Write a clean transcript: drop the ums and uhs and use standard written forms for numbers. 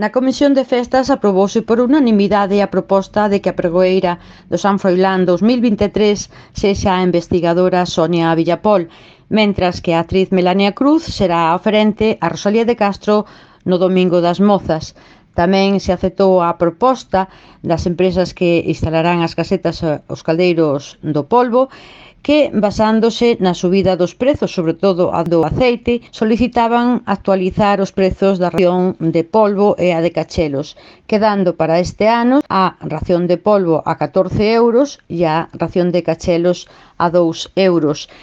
Na Comisión de Festas aprobouse por unanimidade a proposta de que a pregoeira do San Froilán 2023 sexa a investigadora Sonia Villapol, mentras que a actriz Melania Cruz será a oferente a Rosalía de Castro no Domingo das Mozas. Tamén se aceptou a proposta das empresas que instalarán as casetas os caldeiros do polvo, que, basándose na subida dos prezos, sobre todo a do aceite, solicitaban actualizar os prezos da ración de polvo e a de cachelos, quedando para este ano a ración de polvo a 14 euros e a ración de cachelos a 2 euros.